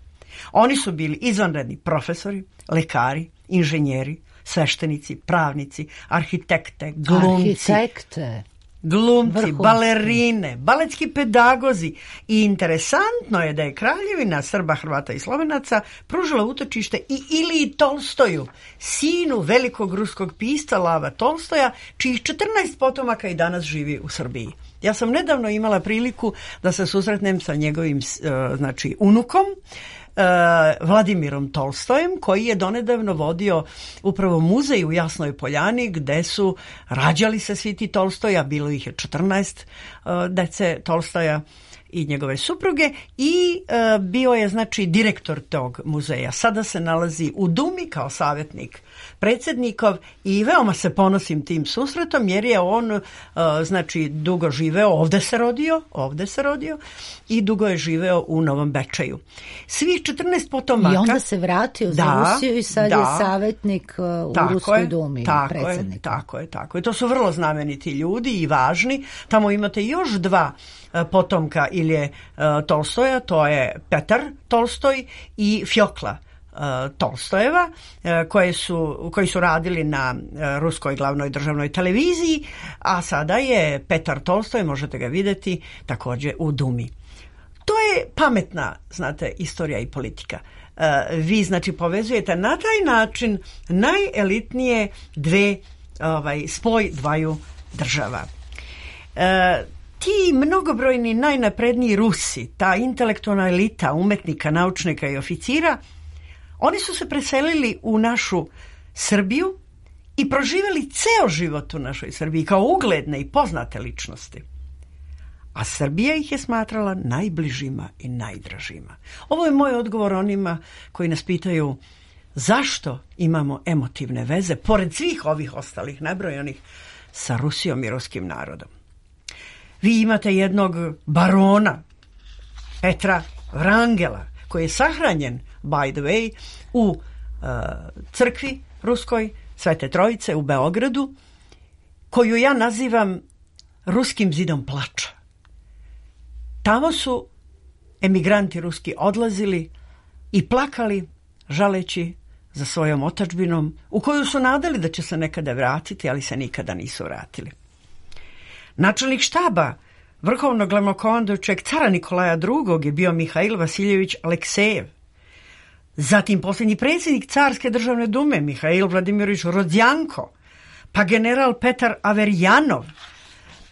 Oni su bili izvanredni profesori, lekari, inženjeri, sveštenici, pravnici, arhitekte, glumci. Arhitekte. Glumci, Vrhunski. balerine, baletski pedagozi i interesantno je da je Kraljevina Srba, Hrvata i Slovenaca pružila utočište i Iliji Tolstoju, sinu velikog ruskog pisca Lava Tolstoja, čijih četrnaest potomaka i danas živi u Srbiji. Ja sam nedavno imala priliku da se susretnem sa njegovim znači unukom, Vladimirom Tolstojem, koji je donedavno vodio upravo muzej u Jasnoj Poljani gde su rađali se svi ti Tolstoja, bilo ih je četrnaest dece Tolstoja i njegove supruge i e, bio je znači direktor tog muzeja. Sada se nalazi u Dumi kao savjetnik predsjednikov i veoma se ponosim tim susretom jer je on e, znači dugo živeo, ovde se rodio, ovde se rodio i dugo je živeo u Novom Bečeju. Svih četrnaest potomaka. I onda se vratio za da, Rusiju i sad da, je savjetnik u tako Ruskoj je, Dumi, tako predsjednik. Je, tako je, tako je. To su vrlo znameniti ljudi i važni. Tamo imate još dva potomka Ilije Tolstoja, to je Petar Tolstoj i Fjokla Tolstojeva, koje su, koji su radili na ruskoj glavnoj državnoj televiziji, a sada je Petar Tolstoj, možete ga vidjeti, također u Dumi. To je pametna, znate, istorija i politika. Vi, znači, povezujete na taj način najelitnije dve, ovaj, spoj dvaju država. E, Ti mnogobrojni najnapredniji Rusi, ta intelektualna elita umetnika, naučnika i oficira, oni su se preselili u našu Srbiju i proživjeli ceo život u našoj Srbiji kao ugledne i poznate ličnosti. A Srbija ih je smatrala najbližima i najdražima. Ovo je moj odgovor onima koji nas pitaju zašto imamo emotivne veze, pored svih ovih ostalih nabrojanih, sa Rusijom i ruskim narodom. Vi imate jednog barona, Petra Vrangela, koji je sahranjen, by the way, u uh, crkvi ruskoj Svete Trojice u Beogradu, koju ja nazivam ruskim zidom plača. Tamo su emigranti ruski odlazili i plakali, žaleći za svojom otadžbinom, u koju su nadali da će se nekada vratiti, ali se nikada nisu vratili. Načelnik štaba vrhovnog glavnokomandujućeg cara Nikolaja drugog je bio Mihail Vasiljević Aleksejev. Zatim posljednji predsjednik Carske državne dume Mihail Vladimirović Rodzjanko, pa general Petar Averjanov,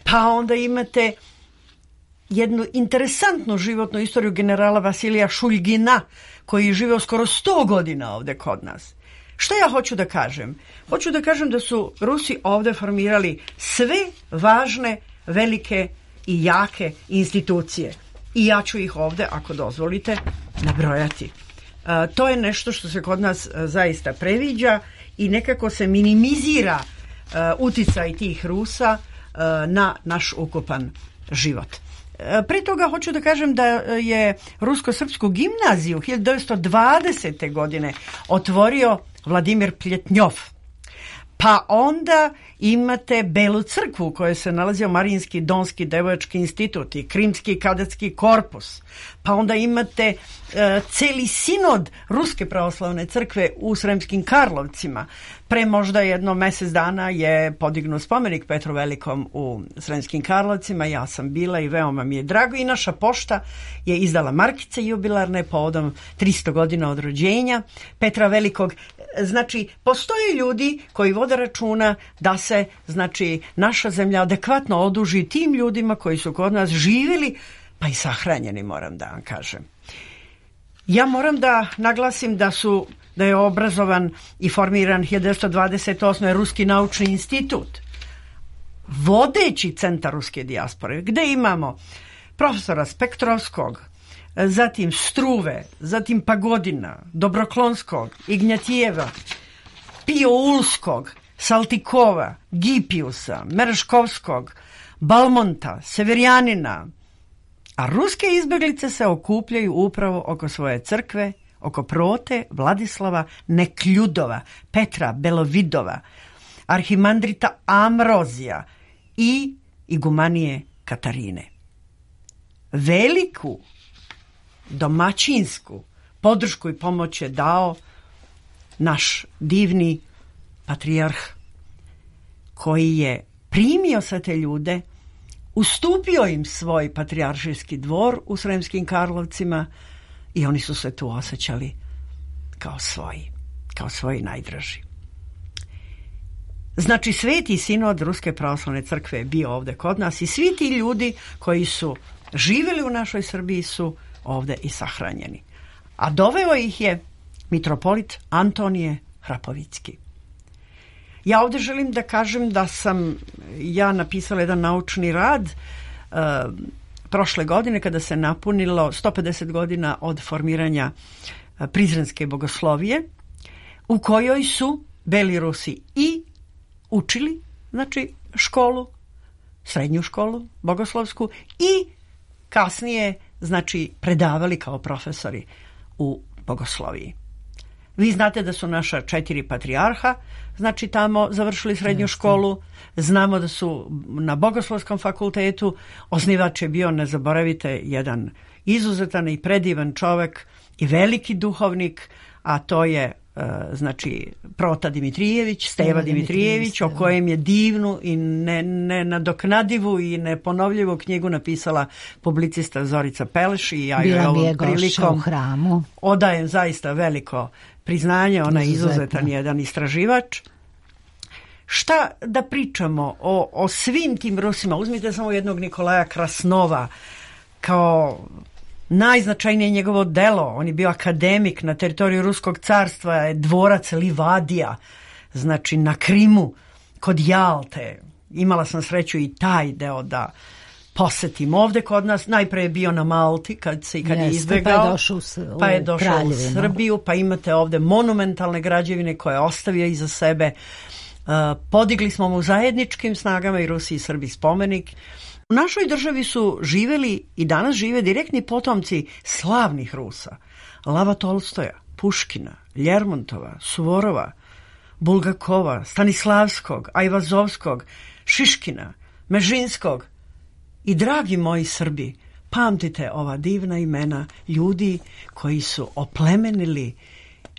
pa onda imate jednu interesantnu životnu istoriju generala Vasilija Šuljgina, koji je živeo skoro sto godina ovde kod nas. Što ja hoću da kažem? Hoću da kažem da su Rusi ovde formirali sve važne, velike i jake institucije. I ja ću ih ovde, ako dozvolite, nabrojati. E, to je nešto što se kod nas e, zaista previđa i nekako se minimizira e, uticaj tih Rusa e, na naš ukupan život. Pre toga hoću da kažem da je Rusko-srpsku gimnaziju hiljadu devetsto dvadesete godine otvorio Vladimir Pljetnjov. Pa onda imate Belu crkvu u kojoj se nalazio Marijinski Donski devojački institut i Krimski kadetski korpus. Pa onda imate e, celi sinod Ruske pravoslavne crkve u Sremskim Karlovcima. Pre možda jedno mjesec dana je podignut spomenik Petru Velikom u Sremskim Karlovcima. Ja sam bila i veoma mi je drago. I naša pošta je izdala markice jubilarne povodom tristo godina od rođenja Petra Velikog. Znači, postoje ljudi koji vode računa da se, znači, naša zemlja adekvatno oduži tim ljudima koji su kod nas živjeli, pa i sahranjeni, moram da vam kažem. Ja moram da naglasim da su da je obrazovan i formiran hiljadu devetsto dvadeset osme. Ruski naučni institut, vodeći centar ruske dijaspore, gde imamo profesora Spektrovskog, zatim Struve, zatim Pagodina, Dobroklonskog, Ignjatijeva, Pioulskog, Saltikova, Gipiusa, Mereškovskog, Balmonta, Severjanina. A ruske izbeglice se okupljaju upravo oko svoje crkve, oko Prote, Vladislava, Nekljudova, Petra Belovidova, arhimandrita Amrozija i igumanije Katarine. Veliku domaćinsku podršku i pomoć je dao naš divni patrijarh, koji je primio sve te ljude, ustupio im svoj patrijaršijski dvor u Sremskim Karlovcima i oni su se tu osjećali kao svoji, kao svoji najdraži. Znači, Sveti sinod Ruske pravoslavne crkve je bio ovde kod nas i svi ti ljudi koji su živjeli u našoj Srbiji su ovde i sahranjeni. A doveo ih je mitropolit Antonije Hrapovicki. Ja ovdje želim da kažem da sam ja napisala jedan naučni rad uh, prošle godine kada se napunilo sto pedeset godina od formiranja uh, Prizrenske bogoslovije, u kojoj su Beli Rusi i učili, znači, školu, srednju školu bogoslovsku i kasnije, znači, predavali kao profesori u bogosloviji. Vi znate da su naša četiri patrijarha, znači, tamo završili srednju školu. Znamo da su na Bogoslovskom fakultetu, osnivač je bio, ne zaboravite, jedan izuzetan i predivan čovek i veliki duhovnik, a to je, znači, Prota Dimitrijević, Steva Dimitrijević, o kojem je divnu i nenadoknadivu i neponovljivu knjigu napisala publicista Zorica Peleš i ja joj ovom prilikom odajem zaista veliko priznanje. Ona je izuzetan jedan istraživač. Šta da pričamo o, o svim tim Rusima? Uzmite samo jednog Nikolaja Krasnova kao najznačajnije njegovo delo. On je bio akademik na teritoriju Ruskog carstva, je dvorac Livadija, znači na Krimu, kod Jalte. Imala sam sreću i taj deo da posetim ovde kod nas. Najpre je bio na Malti kad se kad je izbegao, pa je došao, u, pa je došao u Srbiju, pa imate ovde monumentalne građevine koje je ostavio iza sebe. Uh, podigli smo mu zajedničkim snagama i Rusi i Srbi spomenik. U našoj državi su živeli i danas žive direktni potomci slavnih Rusa. Lava Tolstoja, Puškina, Ljermontova, Suvorova, Bulgakova, Stanislavskog, Ajvazovskog, Šiškina, Mežinskog. I dragi moji Srbi, pamtite ova divna imena ljudi koji su oplemenili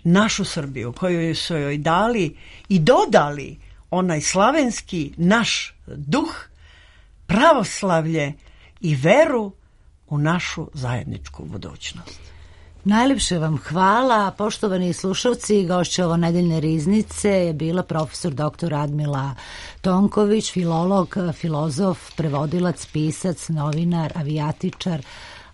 našu Srbiju, koju su joj dali i dodali onaj slavenski naš duh, pravoslavlje i veru u našu zajedničku budućnost. Najlepše vam hvala, poštovani slušalci. Gošća ovo nedeljne riznice je bila profesor doktor Radmila Tonković, filolog, filozof, prevodilac, pisac, novinar, avijatičar,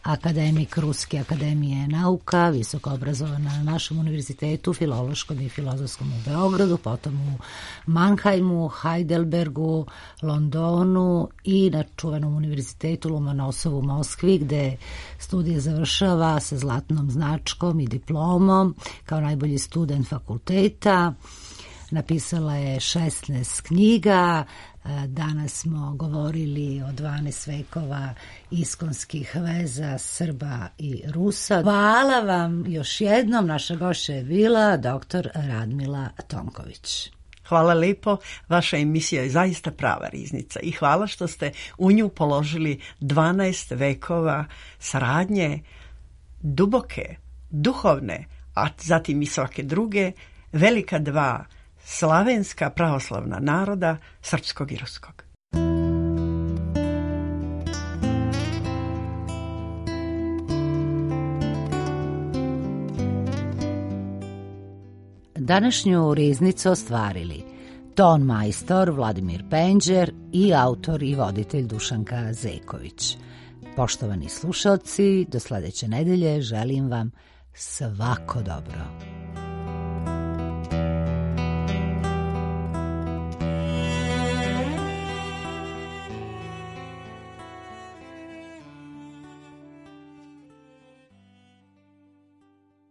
akademik Ruske akademije nauka, visoko obrazovana na našem univerzitetu, filološkom i filozofskom u Beogradu, potom u Mannheimu, Heidelbergu, Londonu i na čuvenom univerzitetu Lomonosovu u Moskvi, gde studije završava sa zlatnom značkom i diplomom kao najbolji student fakulteta. Napisala je šesnaest knjiga. Danas smo govorili o dvanaest vekova iskonskih veza Srba i Rusa. Hvala vam još jednom. Naša gošća je bila doktor Radmila Tonković. Hvala lepo. Vaša emisija je zaista prava riznica i hvala što ste u nju položili dvanaest vekova saradnje, duboke, duhovne, a zatim i svake druge, velika dva slavenska pravoslavna naroda, srpskog i ruskog. Današnju riznicu ostvarili ton majstor Vladimir Penđer i autor i voditelj Dušanka Zeković. Poštovani slušalci, do sledeće nedelje želim vam svako dobro.